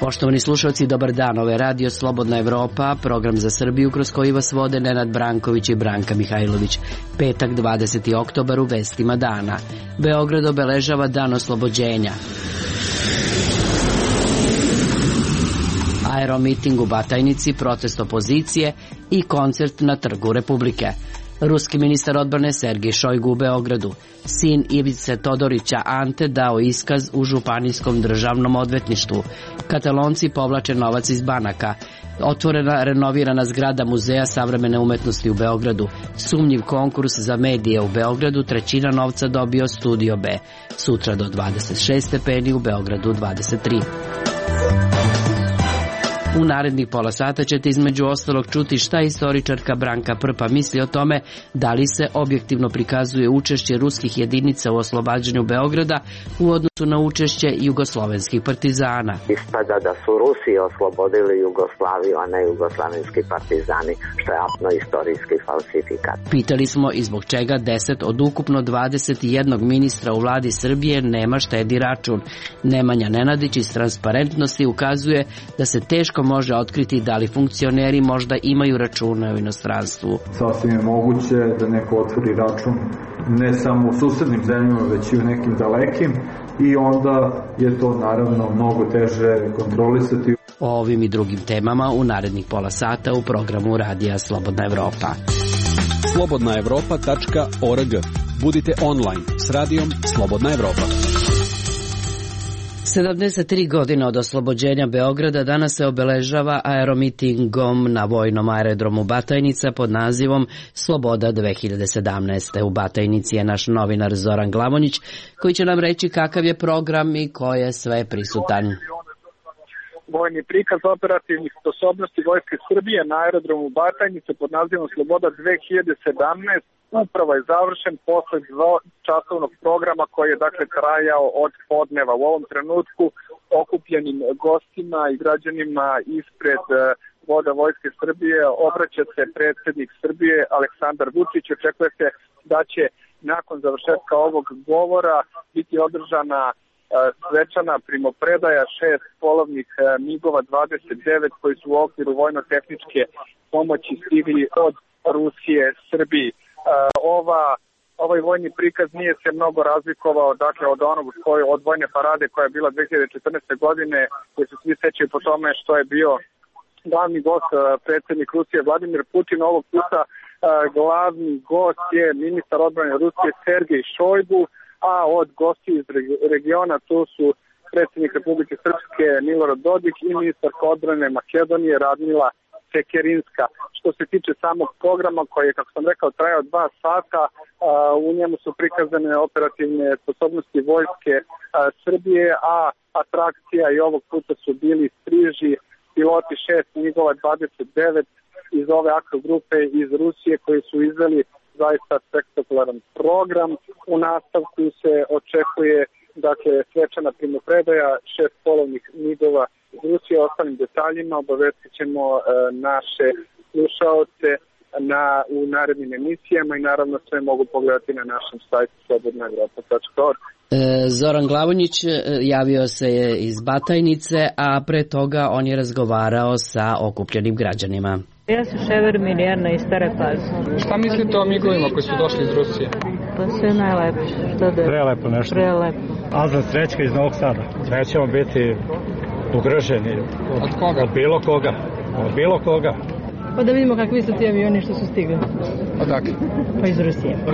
Poštovani slušalci, dobar dan. Ovo je Radio Slobodna Evropa, program za Srbiju kroz koji vas vode Nenad Branković i Branka Mihajlović. Petak, 20. oktobar, u vestima dana. Beograd obeležava Dan oslobođenja. Aeromiting u Batajnici, protest opozicije i koncert na Trgu Republike. Ruski ministar odbrane Sergej Šojgu u Beogradu. Sin Ivice Todorića Ante dao iskaz u Županijskom državnom odvetništvu. Katalonci povlače novac iz banaka. Otvorena renovirana zgrada Muzeja savremene umetnosti u Beogradu. Sumnjiv konkurs za medije u Beogradu, trećina novca dobio Studio B. Sutra do 26 stepeni, u Beogradu 23. U narednih pola sata ćete između ostalog čuti šta istoričarka Branka Prpa misli o tome da li se objektivno prikazuje učešće ruskih jedinica u oslobađanju Beograda u odnosu na učešće jugoslovenskih partizana. Ispada da su Rusi oslobodili Jugoslaviju, a ne jugoslavenski partizani, što je apno istorijski falsifikat. Pitali smo i zbog čega 10 od ukupno 21 ministra u vladi Srbije nema štedi račun. Nemanja Nenadić iz Transparentnosti ukazuje da se teško može otkriti da li funkcioneri možda imaju račune u inostranstvu. Sasvim je moguće da neko otvori račun ne samo u susednim zemljama, već i u nekim dalekim, i onda je to naravno mnogo teže kontrolisati. O ovim i drugim temama u narednih pola sata u programu Radija Slobodna Evropa. slobodnaevropa.org. Budite online s radijom Slobodna Evropa. 73 godine od oslobođenja Beograda danas se obeležava aeromitingom na vojnom aerodromu Batajnica pod nazivom Sloboda 2017. U Batajnici je naš novinar Zoran Glavonjić koji će nam reći kakav je program i ko je sve prisutan. Vojni prikaz operativnih sposobnosti Vojske Srbije na aerodromu Batajnice pod nazivom Sloboda 2017 upravo je završen posle časovnog programa koji je dakle trajao od podneva. U ovom trenutku okupljenim gostima i građanima ispred voda Vojske Srbije obraća se predsjednik Srbije Aleksandar Vučić. Očekuje se da će nakon završetka ovog govora biti održana svečana primopredaja 6 polovnih MiG-ova 29 koji su u okviru vojno-tehničke pomoći stigli od Rusije Srbiji. Ovaj vojni prikaz nije se mnogo razlikovao dakle od onog od vojne parade koja je bila 2014. godine, koji se svi sećaju po tome što je bio glavni gost predsjednik Rusije Vladimir Putin. Ovog puta glavni gost je ministar odbrane Rusije Sergej Šojgu, a od gosti iz regiona to su predsjednik Republike Srpske Milorad Dodik i ministarka odbrane Makedonije Radmila Sekerinska. Što se tiče samog programa koji je, kako sam rekao, trajao 2 sata, u njemu su prikazane operativne sposobnosti Vojske Srbije, a atrakcija i ovog puta su bili striži piloti 6 MiG-ova 29 iz ove akro grupe iz Rusije koji su izveli zaista spektakularan program. U nastavku se očekuje dakle svečana primopredaja 6 polovnih MiG-ova iz Rusije. Ostalim detaljima obavestit ćemo naše slušaoce u narednim emisijama i naravno sve mogu pogledati na našem sajtu slobodnaevropa.org. Zoran Glavonjić javio se iz Batajnice, a pre toga on je razgovarao sa okupljenim građanima. Ja sam Šever Mirjana iz Stare Pazove. Šta mislite o migovima koji su došli iz Rusije? Pa sve najlepše. Prelepo nešto. Prelepo. Azan Srećka iz Novog Sada. Nećemo biti ugroženi. Od koga? Od bilo koga. Od bilo koga. Pa da vidimo kakvi su ti avioni što su stigli. Odakle? Pa iz Rusije. Pa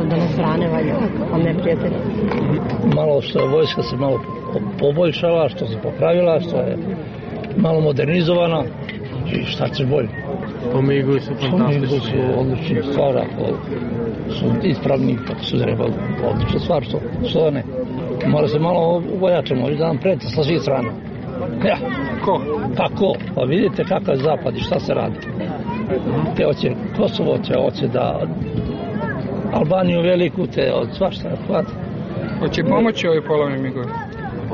da nas brane valja, a ne prijatelji. Malo što je vojska se malo poboljšala, što se popravila, što je malo modernizovana i šta će bolje. Pomigovi su fantastični. Pomigovi su odlični stvar, ako su ispravni, kako su trebali. Odlična stvar, što ne. Mora se malo uvojačamo i da nam preti sa svih strana. Ja. Ko? Pa ko? Pa vidite kakav je zapad i šta se radi. Te hoće Kosovo, hoće da Albaniju veliku, te od svašta hvata. Hoće pomoći ovi polovni migovi?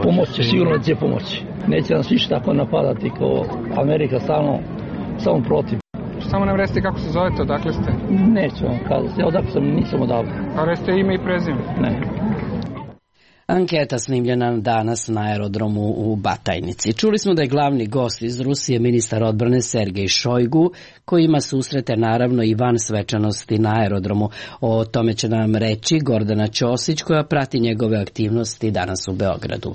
Pomoći, sigurno će pomoći. Neće nas više tako napadati kao Amerika stalno, samo protiv. Samo nam recite kako se zovete, odakle ste? Neću vam kazati, odakle sam, nisam odavde. A recite ime i prezime? Ne. Anketa snimljena danas na aerodromu u Batajnici. Čuli smo da je glavni gost iz Rusije ministar odbrane Sergej Šojgu, koji ima susrete naravno i van svečanosti na aerodromu. O tome će nam reći Gordana Ćosić, koja prati njegove aktivnosti danas u Beogradu.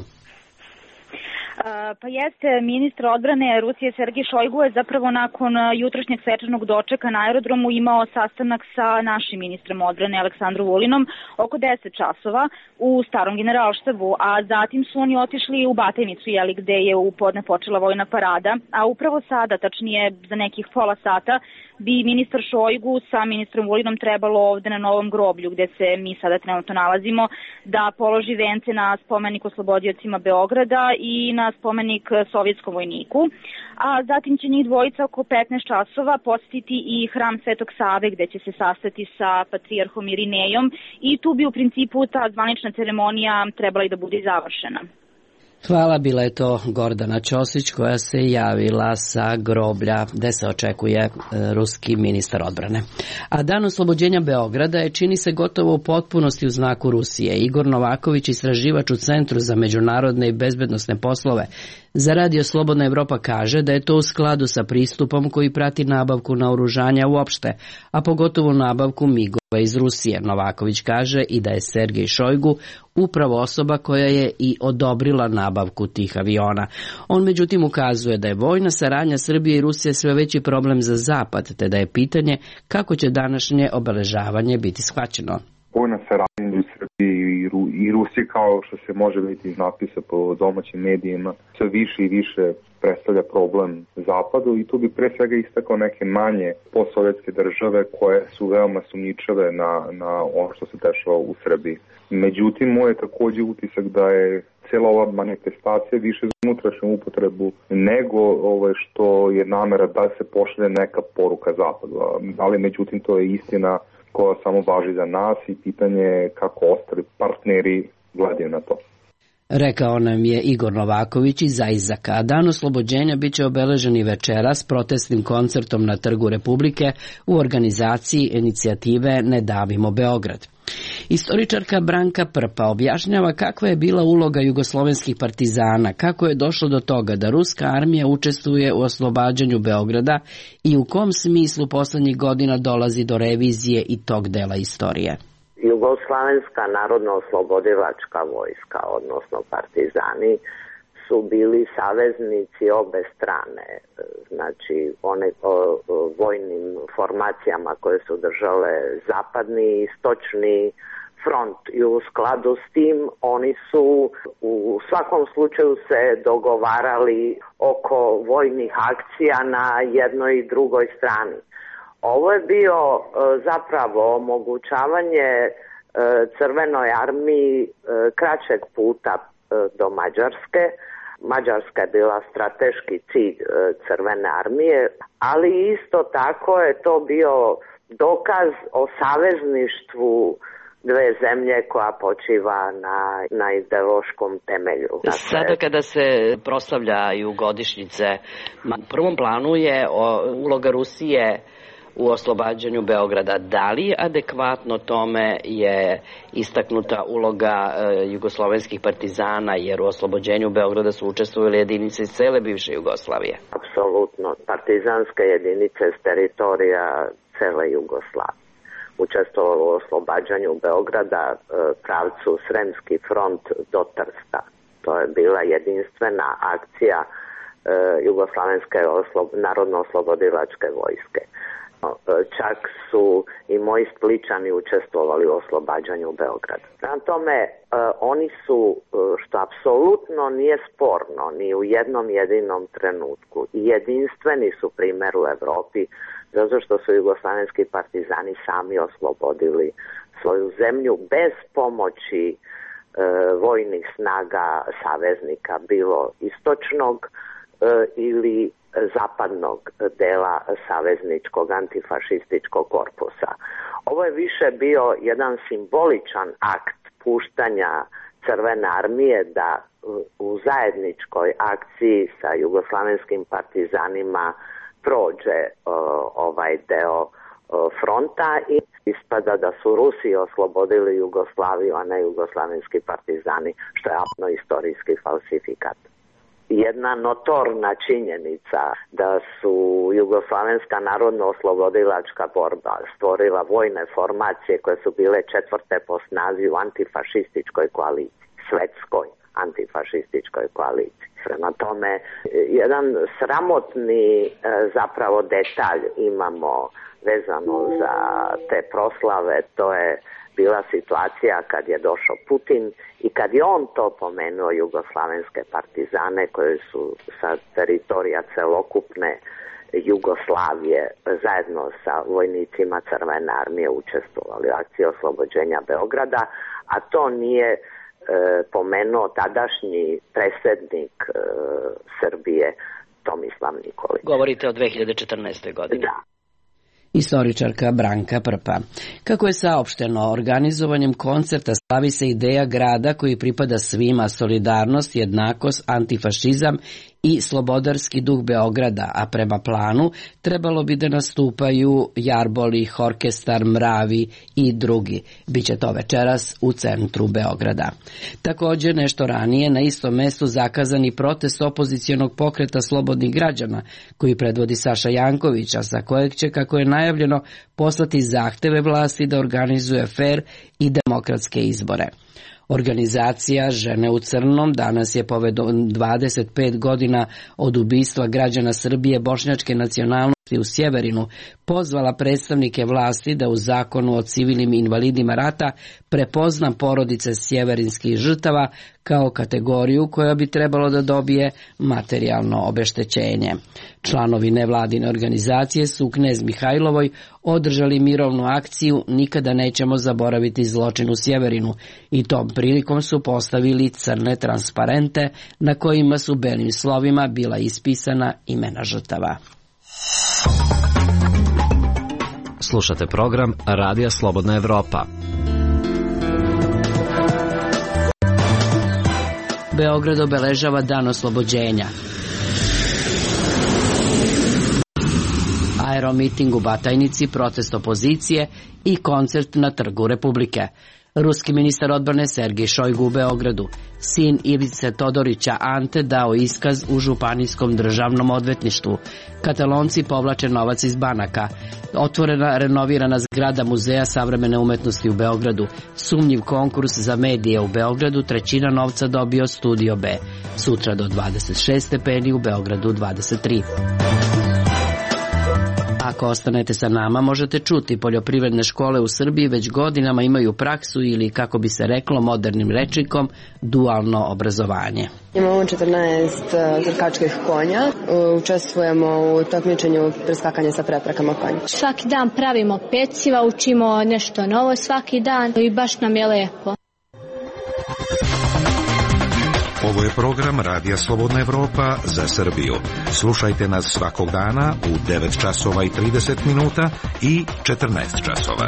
Pa jeste, ministar odbrane Rusije Sergej Šojgu je zapravo nakon jutrošnjeg svečanog dočeka na aerodromu imao sastanak sa našim ministrom odbrane Aleksandrom Vulinom oko 10 časova u starom generalštabu, a zatim su oni otišli u Batajnicu, gde je u podne počela vojna parada, a upravo sada, tačnije za nekih pola sata, bi ministar Šojgu sa ministrom Vulinom trebalo ovde na Novom groblju, gde se mi sada trenutno nalazimo, da položi vence na spomenik oslobodiocima Beograda i na spomenik sovjetskom vojniku. A zatim će njih dvojica oko 15 časova posjetiti i hram Svetog Save, gde će se sastati sa patrijarhom Irinejom i tu bi u principu ta zvanična ceremonija trebala i da bude završena. Hvala, bila je to Gordana Ćosić koja se javila sa groblja gde se očekuje ruski ministar odbrane. A dan oslobođenja Beograda je, čini se, gotovo u potpunosti u znaku Rusije. Igor Novaković, istraživač u Centru za međunarodne i bezbednosne poslove za Radio Slobodna Evropa, kaže da je to u skladu sa pristupom koji prati nabavku naoružanja uopšte, a pogotovo nabavku migova iz Rusije. Novaković kaže i da je Sergej Šojgu upravo osoba koja je i odobrila nabavku tih aviona. On međutim ukazuje da je vojna saradnja Srbije i Rusije sve veći problem za Zapad, te da je pitanje kako će današnje obeležavanje biti shvaćeno. Vojna saradnja u Srbiji i Rusiji, kao što se može vidjeti iz napisa po domaćim medijima, sve više i više predstavlja problem Zapadu i tu bi pre svega istakao neke manje postsovjetske države koje su veoma sumnjičave na ono što se dešava u Srbiji. Međutim, moj je također utisak da je cijela ova manifestacija više za unutrašnju upotrebu nego što je namera da se pošalje neka poruka Zapadu. Ali međutim, to je istina koja samo važi za nas i pitanje je kako ostali partneri gledaju na to. Rekao nam je Igor Novaković iz Ajzaka. Dan oslobođenja biće obeležen i večeras protestnim koncertom na Trgu Republike u organizaciji inicijative Ne davimo Beograd. Istoričarka Branka Prpa objašnjava kakva je bila uloga jugoslovenskih partizana, kako je došlo do toga da ruska armija učestvuje u oslobađanju Beograda i u kom smislu poslednjih godina dolazi do revizije i tog dela istorije. Jugoslovenska narodno-oslobodilačka vojska, odnosno partizani, su bili saveznici obe strane, znači vojnim formacijama koje su držale zapadni i istočni front i u skladu s tim oni su u svakom slučaju se dogovarali oko vojnih akcija na jednoj i drugoj strani. Ovo je bio zapravo omogućavanje Crvenoj armiji kraćeg puta do Mađarske. Mađarska je bila strateški cilj Crvene armije, ali isto tako je to bio dokaz o savezništvu dve zemlje koja počiva na ideološkom temelju. Sada kada se proslavljaju godišnjice, u prvom planu je uloga Rusije u oslobađanju Beograda. Da li adekvatno tome je istaknuta uloga jugoslovenskih partizana, jer u oslobođenju Beograda su učestvovali jedinice iz cele bivše Jugoslavije? Apsolutno. Partizanske jedinice s teritorija cele Jugoslavije učestvovalo u oslobađanju Beograda pravcu Sremski front do Trsta. To je bila jedinstvena akcija Jugoslovenske narodno-oslobodilačke vojske. Čak su i moji Spličani učestvovali u oslobađanju Beograda. Prema tome, oni su, što apsolutno nije sporno, ni u jednom jedinom trenutku, i jedinstveni su primjer u Evropi, zato što su jugoslovenski partizani sami oslobodili svoju zemlju bez pomoći vojnih snaga saveznika, bilo istočnog ili zapadnog dela savezničkog antifašističkog korpusa. Ovo je više bio jedan simboličan akt puštanja Crvene armije da u zajedničkoj akciji sa jugoslavenskim partizanima prođe ovaj deo fronta i ispada da su Rusi oslobodili Jugoslaviju, a ne jugoslavenski partizani, što je apsolutno istorijski falsifikat. Jedna notorna činjenica da su Jugoslavenska narodno-oslobodilačka borba stvorila vojne formacije koje su bile četvrte po snazi u antifašističkoj koaliciji, svetskoj antifašističkoj koaliciji. Prema tome, jedan sramotni zapravo detalj imamo vezano za te proslave, to je bila situacija kad je došao Putin i kad je on to pomenuo jugoslavenske partizane koje su sa teritorija celokupne Jugoslavije zajedno sa vojnicima Crvene armije učestvovali u akciji oslobođenja Beograda, a to nije pomenuo tadašnji predsjednik Srbije Tomislav Nikolić. Govorite o 2014. godini. Da. Istoričarka Branka Prpa. Kako je saopšteno, organizovanjem koncerta slavi se ideja grada koji pripada svima, solidarnost, jednakost, antifašizam i slobodarski duh Beograda, a prema planu trebalo bi da nastupaju Jarboli, Orkestar, Mravi i drugi. Biće to večeras u centru Beograda. Također nešto ranije na istom mestu zakazani protest opozicionog pokreta slobodnih građana koji predvodi Saša Janković, a sa kojeg će, kako je najavljeno, poslati zahteve vlasti da organizuje fer i demokratske izbore. Organizacija Žene u crnom danas je povodom 25 godina od ubistva građana Srbije bošnjačke nacionalnosti u Sjeverinu pozvala predstavnike vlasti da u zakonu o civilnim invalidima rata prepozna porodice sjeverinskih žrtava kao kategoriju koja bi trebalo da dobije materijalno obeštećenje. Članovi nevladine organizacije su u Knez Mihajlovoj održali mirovnu akciju Nikada nećemo zaboraviti zločin u Sjeverinu i tom prilikom su postavili crne transparente na kojima su belim slovima bila ispisana imena žrtava. Slušate program Radija Slobodna Evropa. Beograd obeležava dan oslobođenja. Aeromiting u Batajnici, protest opozicije i koncert na Trgu Republike. Ruski ministar odbrane Sergej Šojgu u Beogradu. Sin Ivice Todorića Ante dao iskaz u Županijskom državnom odvetništvu. Katalonci povlače novac iz banaka. Otvorena renovirana zgrada Muzeja savremene umetnosti u Beogradu. Sumnjiv konkurs za medije u Beogradu, trećina novca dobio Studio B. Sutra do 26 stepeni, u Beogradu 23. Ako ostanete sa nama, možete čuti poljoprivredne škole u Srbiji već godinama imaju praksu ili, kako bi se reklo modernim rečnikom, dualno obrazovanje. Imamo 14 trkačkih konja, učestvujemo u takmičenju preskakanja sa preprekama konja. Svaki dan pravimo peciva, učimo nešto novo svaki dan i baš nam je lepo. Ovo je program Radija Slobodna Evropa za Srbiju. Slušajte nas svakog dana u 9 časova i 30 minuta i 14 časova.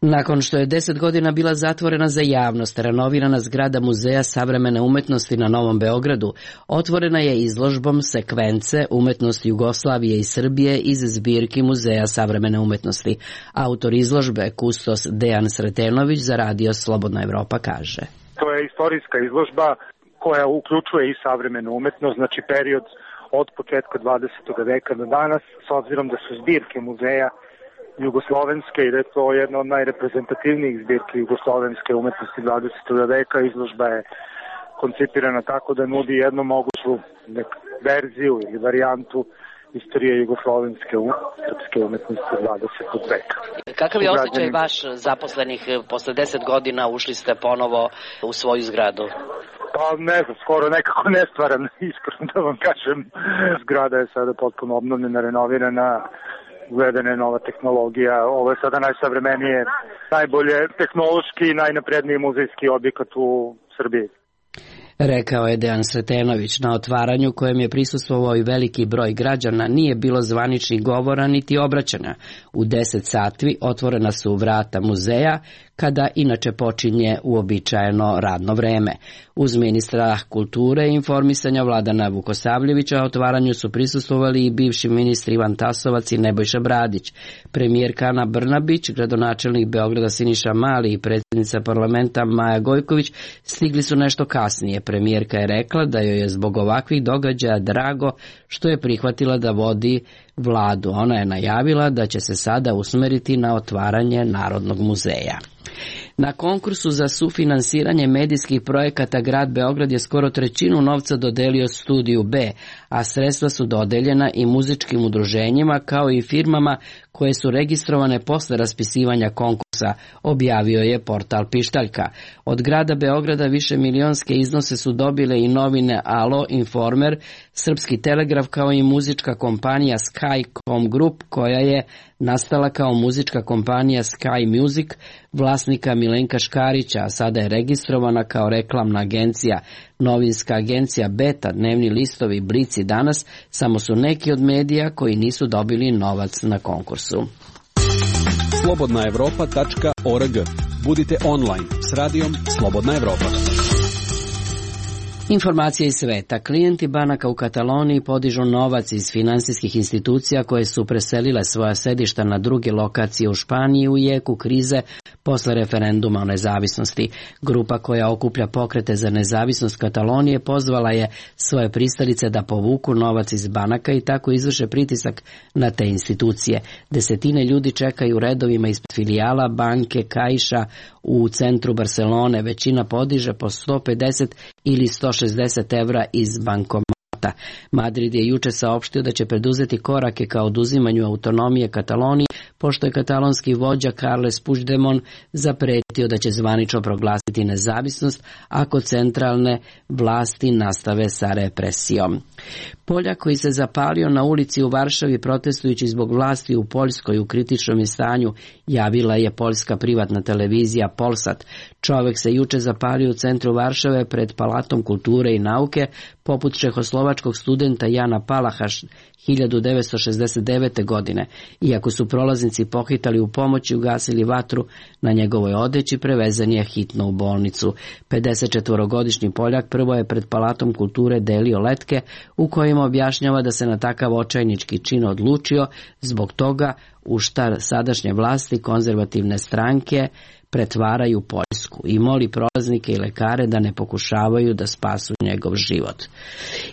Nakon što je 10 godina bila zatvorena za javnost, renovirana zgrada Muzeja savremene umetnosti na Novom Beogradu otvorena je izložbom sekvence umetnosti Jugoslavije i Srbije iz zbirki Muzeja savremene umetnosti. Autor izložbe, kustos Dejan Sretenović, za Radio Slobodna Evropa kaže. To je istorijska izložba koja uključuje i savremenu umetnost, znači period od početka 20. veka do danas, s obzirom da su zbirke muzeja jugoslovenske i da je to jedna od najreprezentativnijih zbirki jugoslovenske umetnosti 20. veka. Izložba je koncipirana tako da nudi jednu moguću verziju ili varijantu istorije jugoslovenske srpske umetnosti 20. veka. Kakav je osjećaj vaš zaposlenih posle 10 godina ušli ste ponovo u svoju zgradu? Pa ne znam, skoro nekako nestvaran, iskreno da vam kažem. Zgrada je sada potpuno obnovljena, renovirana, uvedena je nova tehnologija. Ovo je sada najsavremenije, najbolje tehnološki i najnapredniji muzejski objekat u Srbiji. Rekao je Dejan Sretenović. Na otvaranju, kojem je prisustvovao i veliki broj građana, nije bilo zvaničnih govora niti obraćanja. U 10 sati otvorena su vrata muzeja, kada inače počinje uobičajeno radno vreme. Uz ministra kulture i informisanja Vladana Vukosavljevića otvaranju su prisustvovali i bivši ministri Ivan Tasovac i Nebojša Bradić. Premijerka Ana Brnabić, gradonačelnik Beograda Siniša Mali i predsjednica parlamenta Maja Gojković stigli su nešto kasnije. Premijerka je rekla da joj je zbog ovakvih događaja drago što je prihvatila da vodi vladu. Ona je najavila da će se sada usmeriti na otvaranje Narodnog muzeja. Na konkursu za sufinansiranje medijskih projekata grad Beograd je skoro trećinu novca dodelio Studiju B, a sredstva su dodeljena i muzičkim udruženjima kao i firmama koje su registrovane posle raspisivanja konkursa, objavio je portal Pištaljka. Od grada Beograda više milionske iznose su dobile i novine Alo, Informer, Srpski telegraf kao i muzička kompanija Skycom Group koja je nastala kao muzička kompanija Sky Music vlasnika Milenka Škarića, a sada je registrovana kao reklamna agencija. Novinska agencija Beta, dnevni listovi, Blic i Danas samo su neki od medija koji nisu dobili novac na konkursu. slobodnaevropa.org. Budite online s radijom Slobodna Evropa. Informacije iz sveta. Klijenti banaka u Kataloniji podižu novac iz finansijskih institucija koje su preselile svoja sedišta na druge lokacije u Španiji u jeku krize posle referenduma o nezavisnosti. Grupa koja okuplja pokrete za nezavisnost Katalonije pozvala je svoje pristalice da povuku novac iz banaka i tako izvrše pritisak na te institucije. Desetine ljudi čekaju u redovima ispred filijala banke Caixa u centru Barcelone. Većina podiže po 150 ili 160 evra iz bankomata. Madrid je juče saopštio da će preduzeti korake ka oduzimanju autonomije Kataloniji, pošto je katalonski vođa Carles Puigdemont zapretio da će zvanično proglasiti nezavisnost ako centralne vlasti nastave sa represijom. Poljak koji se zapalio na ulici u Varšavi protestujući zbog vlasti u Poljskoj u kritičnom je stanju, javila je poljska privatna televizija Polsat. Čovek se juče zapalio u centru Varšave pred Palatom kulture i nauke, poput čehoslovačkog studenta Jana Palaha 1969. godine. Iako su prolaznici pohitali u pomoć i ugasili vatru na njegovoj odeći, prevezen je hitno u bolnicu. 54-godišnji Poljak prvo je pred Palatom kulture delio letke u kojima objašnjava da se na takav očajnički čin odlučio zbog toga u šta sadašnje vlasti konzervativne stranke pretvaraju Poljsku i moli prolaznike i lekare da ne pokušavaju da spasu njegov život.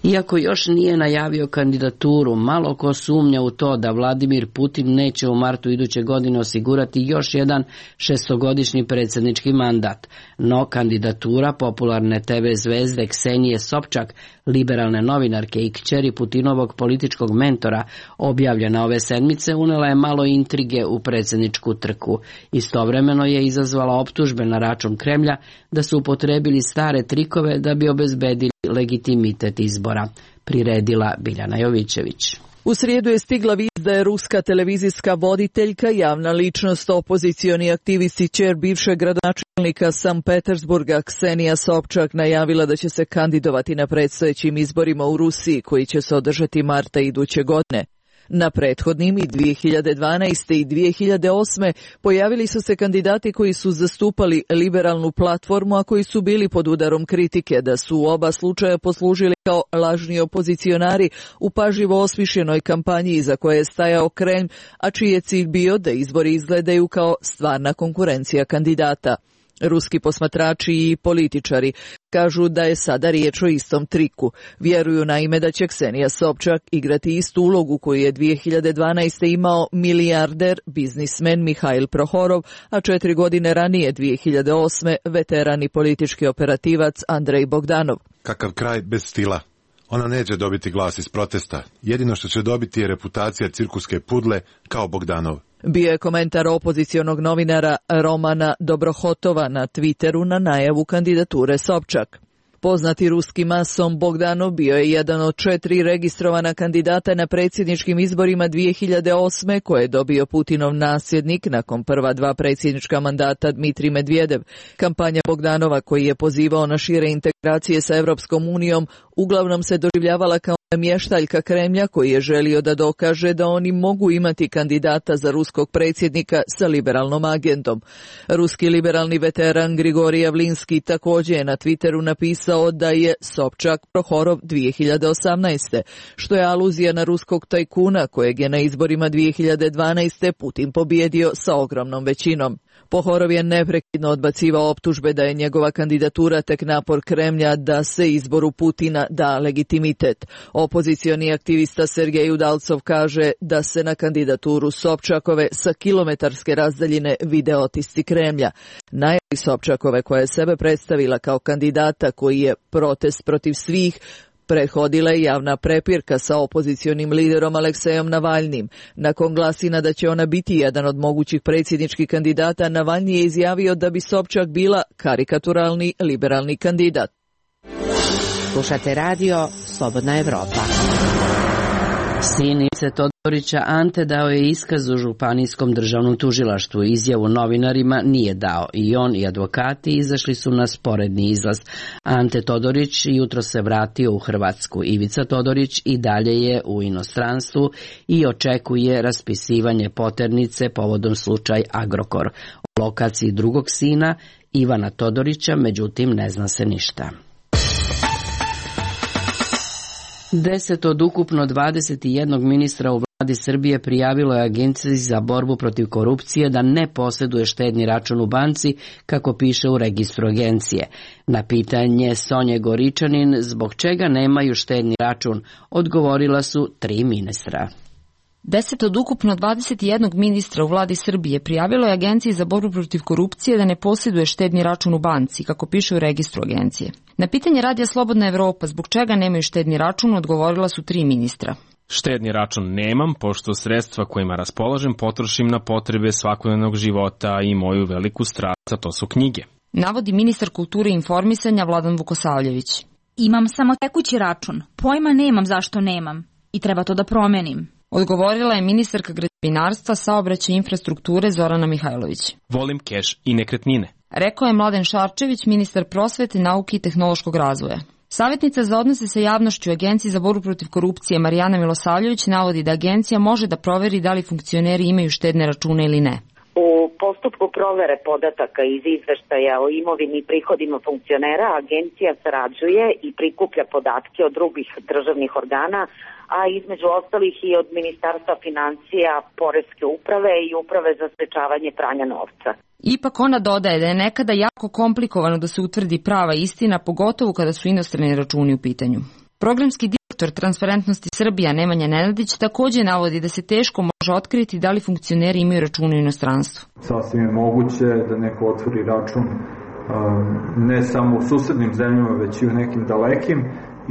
Iako još nije najavio kandidaturu, malo ko sumnja u to da Vladimir Putin neće u martu iduće godine osigurati još jedan šestogodišnji predsjednički mandat. No kandidatura popularne TV zvezde Ksenije Sobčak, liberalne novinarke i kćeri Putinovog političkog mentora, objavljena ove sedmice, unela je malo intrige u predsjedničku trku. Istovremeno je izazvala optužbe na račun Kremlja da su upotrebili stare trikove da bi obezbedili legitimitet izbora, priredila Biljana Jovićević. U srijedu je stigla vijest da je ruska televizijska voditeljka, javna ličnost, opozicioni aktivist i ćer bivšeg gradonačelnika Sankt Petersburga Ksenija Sobčak najavila da će se kandidovati na predstojećim izborima u Rusiji koji će se održati marta iduće godine. Na prethodnim i 2012. i 2008. pojavili su se kandidati koji su zastupali liberalnu platformu, a koji su bili pod udarom kritike da su u oba slučaja poslužili kao lažni opozicionari u pažljivo osmišljenoj kampanji za koje je stajao Kremlj, a čiji je cilj bio da izbori izgledaju kao stvarna konkurencija kandidata. Ruski posmatrači i političari kažu da je sada riječ o istom triku. Vjeruju naime da će Ksenija Sobčak igrati istu ulogu koju je 2012. imao milijarder, biznismen Mihail Prohorov, a 4 godine ranije 2008. veteran i politički operativac Andrej Bogdanov. Kakav kraj bez stila. Ona neće dobiti glas iz protesta. Jedino što će dobiti je reputacija cirkuske pudle kao Bogdanov. Bio je komentar opozicionog novinara Romana Dobrohotova na Twitteru na najavu kandidature Sobčak. Poznati ruski mason Bogdanov bio je jedan od 4 registrovana kandidata na predsjedničkim izborima 2008. koje je dobio Putinov nasljednik nakon prva 2 predsjednička mandata Dmitrij Medvedev. Kampanja Bogdanova, koji je pozivao na šire integracije integracije sa Evropskom unijom uglavnom se doživljavala kao mještaljka Kremlja koji je želio da dokaže da oni mogu imati kandidata za ruskog predsjednika sa liberalnom agendom. Ruski liberalni veteran Grigorij Javlinski također je na Twitteru napisao da je Sobčak Prohorov 2018. što je aluzija na ruskog tajkuna kojeg je na izborima 2012. Putin pobjedio sa ogromnom većinom. Pohorov je neprekidno odbacivao optužbe da je njegova kandidatura tek napor Kremlja da se izboru Putina da legitimitet. Opozicioni aktivista Sergej Udalcov kaže da se na kandidaturu Sobčakove sa kilometarske razdaljine vide otisci Kremlja. Najavi Sobčakove koja je sebe predstavila kao kandidata koji je protest protiv svih, prethodila je javna prepirka sa opozicionim liderom Aleksejom Navalnim. Nakon glasina da će ona biti jedan od mogućih predsjedničkih kandidata, Navalni je izjavio da bi Sobčak bila karikaturalni liberalni kandidat. Slušate radio Slobodna Evropa. Sin Ivice Todorića Ante dao je iskaz u Županijskom državnom tužilaštvu. Izjavu novinarima nije dao. I on i advokati izašli su na sporedni izlaz. Ante Todorić jutro se vratio u Hrvatsku. Ivica Todorić i dalje je u inostranstvu i očekuje raspisivanje poternice povodom slučaj Agrokor. O lokaciji drugog sina Ivana Todorića, međutim, ne zna se ništa. 10 od ukupno 21 ministra u vladi Srbije prijavilo je Agenciji za borbu protiv korupcije da ne posjeduje štedni račun u banci, kako piše u registru agencije. Na pitanje Sonje Goričanin zbog čega nemaju štedni račun, odgovorila su 3 ministra. 10 od ukupno 21 ministra u vladi Srbije prijavilo je Agenciji za borbu protiv korupcije da ne posjeduje štedni račun u banci, kako piše u registru agencije. Na pitanje Radija Slobodna Evropa zbog čega nemaju štedni račun, odgovorila su 3 ministra. Štedni račun nemam, pošto sredstva kojima raspolažem potrošim na potrebe svakodnevnog života i moju veliku strast, a to su knjige. Navodi ministar kulture i informisanja Vladan Vukosavljević. Imam samo tekući račun, pojma nemam zašto nemam i treba to da promenim. Odgovorila je ministarka građevinarstva, saobraćaja i infrastrukture Zorana Mihajlović. Volim keš i nekretnine. Rekao je Mladen Šarčević, ministar prosvete, nauke i tehnološkog razvoja. Savjetnica za odnose sa javnošću Agenciji za borbu protiv korupcije Marijana Milosavljević navodi da agencija može da proveri da li funkcioneri imaju štedne račune ili ne. U postupku provere podataka iz izveštaja o imovini i prihodima funkcionera agencija sarađuje i prikuplja podatke od drugih državnih organa, a između ostalih i od Ministarstva financija, Poreske uprave i Uprave za sprečavanje pranja novca. Ipak ona dodaje da je nekada jako komplikovano da se utvrdi prava istina, pogotovo kada su inostrani računi u pitanju. Programski direktor Transparentnosti Srbija Nemanja Nenadić također navodi da se teško može otkriti da li funkcioneri imaju račune u inostranstvu. Sasvim je moguće da neko otvori račun ne samo u susednim zemljama, već i u nekim dalekim,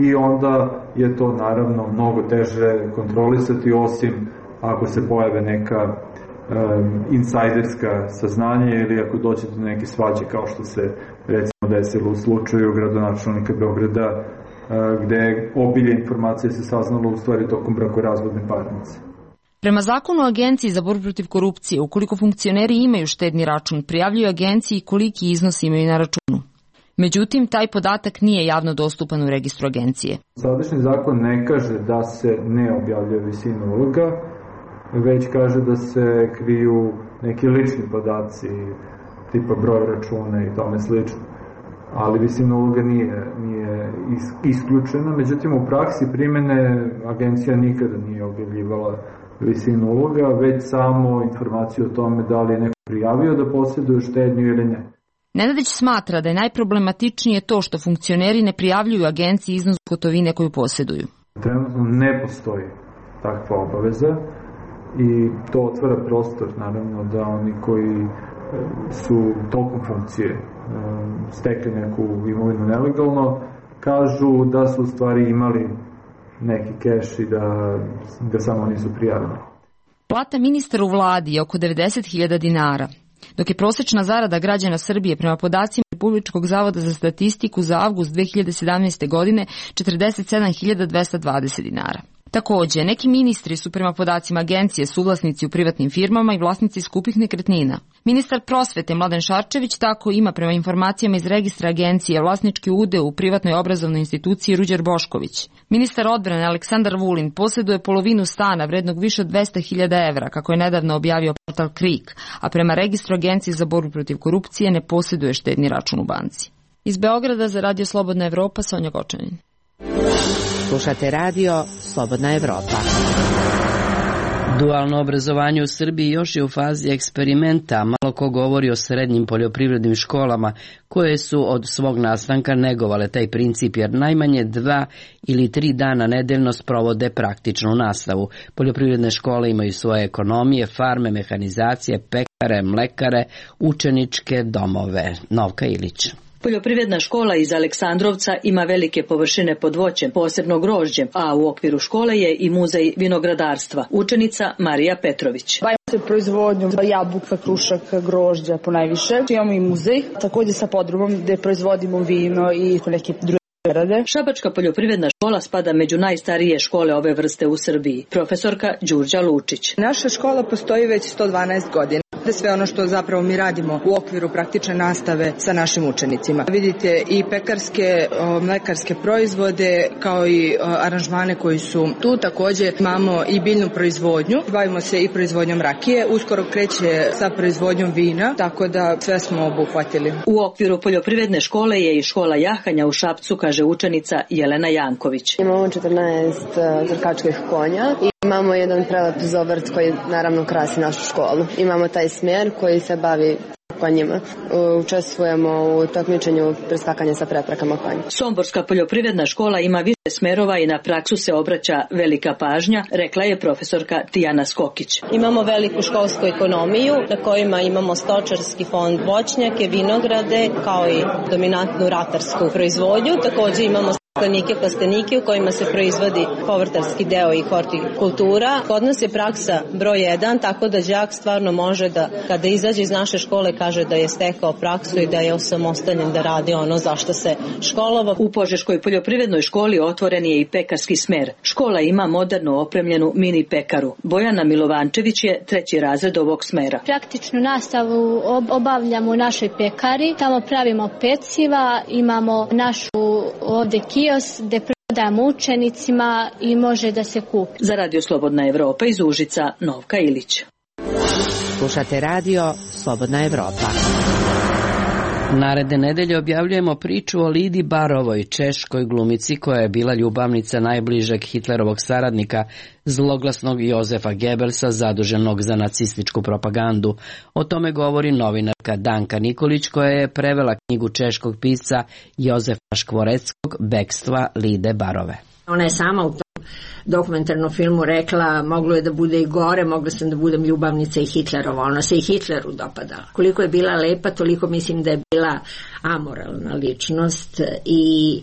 i onda je to naravno mnogo teže kontrolisati, osim ako se pojave neka insajderska saznanja ili ako dođe do neke svađe kao što se recimo desilo u slučaju gradonačelnika Beograda, gde obilje informacije se saznalo u stvari tokom brakorazvodne parnice. Prema zakonu o Agenciji za borbu protiv korupcije, ukoliko funkcioneri imaju štedni račun, prijavljuju agenciji koliki iznos imaju na računu. Međutim, taj podatak nije javno dostupan u registru agencije. Sadašnji zakon ne kaže da se ne objavljuje visina uloga, već kaže da se kriju neki lični podaci, tipa broj računa i tome slično. Ali visina uloga nije isključena. Međutim, u praksi primjene agencija nikada nije objavljivala visinu uloga, već samo informaciju o tome da li je neko prijavio da posjeduje štednju ili ne. Nenadić smatra da je najproblematičnije to što funkcioneri ne prijavljuju agenciji iznos gotovine koju posjeduju. Trenutno ne postoji takva obaveza i to otvara prostor, naravno, da oni koji su tokom funkcije stekli neku imovinu nelegalno, kažu da su u stvari imali neki keš i da samo nisu prijavili. Plata ministra u vladi je oko 90.000 dinara, dok je prosječna zarada građana Srbije prema podacima Republičkog zavoda za statistiku za avgust 2017. godine 47.220 dinara. Također, neki ministri su prema podacima agencije suvlasnici u privatnim firmama i vlasnici skupih nekretnina. Ministar prosvete Mladen Šarčević tako ima prema informacijama iz registra agencije vlasnički udeo u privatnoj obrazovnoj instituciji Ruđer Bošković. Ministar odbrane Aleksandar Vulin posjeduje polovinu stana vrednog više od 200.000 evra, kako je nedavno objavio portal Krik, a prema registru agencije za borbu protiv korupcije ne posjeduje štedni račun u banci. Iz Beograda za Radio Slobodna Evropa, Sonja Gočanin. Slušate Radio Slobodna Evropa. Dualno obrazovanje u Srbiji još je u fazi eksperimenta. Malo ko govori o srednjim poljoprivrednim školama koje su od svog nastanka negovale taj princip, jer najmanje 2 ili 3 dana nedeljno sprovode praktičnu nastavu. Poljoprivredne škole imaju svoje ekonomije, farme, mehanizacije, pekare, mlekare, učeničke domove. Novka Ilić. Poljoprivredna škola iz Aleksandrovca ima velike površine pod voćem, posebno grožđem, a u okviru škole je i muzej vinogradarstva. Učenica Marija Petrović. Bavimo se proizvodnjom jabuka, krušaka, grožđa ponajviše. Imamo i muzej, također sa podrumom gde proizvodimo vino i neke druge. Šabačka poljoprivredna škola spada među najstarije škole ove vrste u Srbiji. Profesorka Đurđa Lučić. Naša škola postoji već 112 godina. Sve ono što zapravo mi radimo u okviru praktične nastave sa našim učenicima. Vidite i pekarske, mlekarske proizvode kao i aranžmane koji su tu. Također imamo i biljnu proizvodnju. Bavimo se i proizvodnjom rakije. Uskoro kreće sa proizvodnjom vina, tako da sve smo obuhvatili. U okviru poljoprivredne škole je i škola jahanja u Šapcu, kaže učenica Jelena Janković. Imamo 14 trkačkih konja i imamo jedan prelep zobrt koji naravno krasi našu školu. Imamo taj smjer koji se bavi konjima. Učestvujemo u takmičenju preskakanja sa preprekama konja. Somborska poljoprivredna škola ima više smerova i na praksu se obraća velika pažnja, rekla je profesorka Tijana Skokić. Imamo veliku školsku ekonomiju na kojima imamo stočarski fond, voćnjake, vinograde, kao i dominantnu ratarsku proizvodnju. Također imamo staklenike, plastenike u kojima se proizvodi povrtarski deo i hortikultura. Kod nas je praksa broj 1, tako da đak stvarno može da, kada izađe iz naše škole, kaže da je stekao praksu i da je osamostaljen da radi ono zašto se školovao. U Požeškoj poljoprivrednoj školi otvoren je i pekarski smer. Škola ima moderno opremljenu mini pekaru. Bojana Milovančević je 3. razred ovog smera. Praktičnu nastavu obavljamo u našoj pekari. Tamo pravimo peciva, imamo našu ovdje kiosk gde prodajemo učenicima i može da se kupi. Za Radio Slobodna Evropa iz Užica, Novka Ilić. Slušate Radio Slobodna Evropa. Naredne nedelje objavljujemo priču o Lidi Barovoj, češkoj glumici koja je bila ljubavnica najbližeg Hitlerovog saradnika, zloglasnog Jozefa Gebelsa, zaduženog za nacističku propagandu. O tome govori novinarka Danka Nikolić, koja je prevela knjigu češkog pisca Jozefa Škvoreckog Bekstva Lide Barove. Ona je sama u tom dokumentarnom filmu rekla, moglo je da bude i gore, mogla sam da budem ljubavnica i Hitlerova. Ona se i Hitleru dopadala. Koliko je bila lepa, toliko mislim da je bila amoralna ličnost i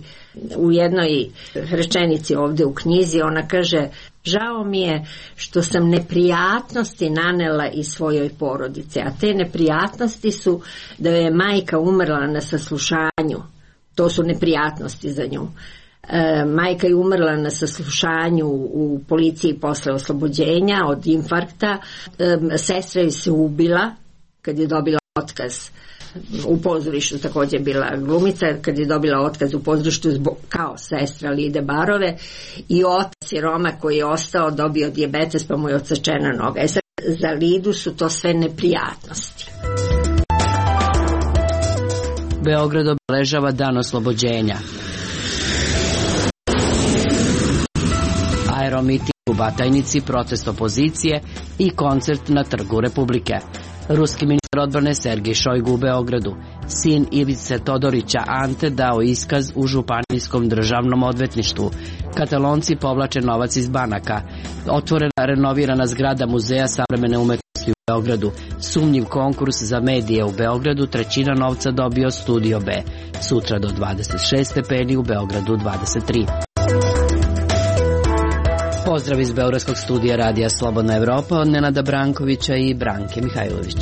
u jednoj rečenici ovde u knjizi ona kaže: žao mi je što sam neprijatnosti nanela i svojoj porodice, a te neprijatnosti su da je majka umrla na saslušanju. To su neprijatnosti za nju. Majka je umrla na saslušanju u policiji posle oslobođenja od infarkta. Sestra je se ubila kad je dobila otkaz u pozorištu, također bila glumica, kad je dobila otkaz u pozorištu kao sestra Lide Barove, i otac je Roma koji je ostao, dobio dijabetes pa mu je odsečena noga. Za Lidu su to sve neprijatnosti. Beograd obeležava dan oslobođenja. Aeromiting u Batajnici, protest opozicije i koncert na Trgu Republike. Ruski ministar odbrane Sergej Šojgu u Beogradu. Sin Ivice Todorića Ante dao iskaz u Županijskom državnom odvetništvu. Katalonci povlače novac iz banaka. Otvorena renovirana zgrada Muzeja savremene umetnosti u Beogradu. Sumnjiv konkurs za medije u Beogradu, 1/3 novca dobio Studio B. Sutra do 26 stepeni, u Beogradu 23. Pozdrav iz Beogradskog studija Radija Slobodna Evropa od Nenada Brankovića i Branke Mihajlović.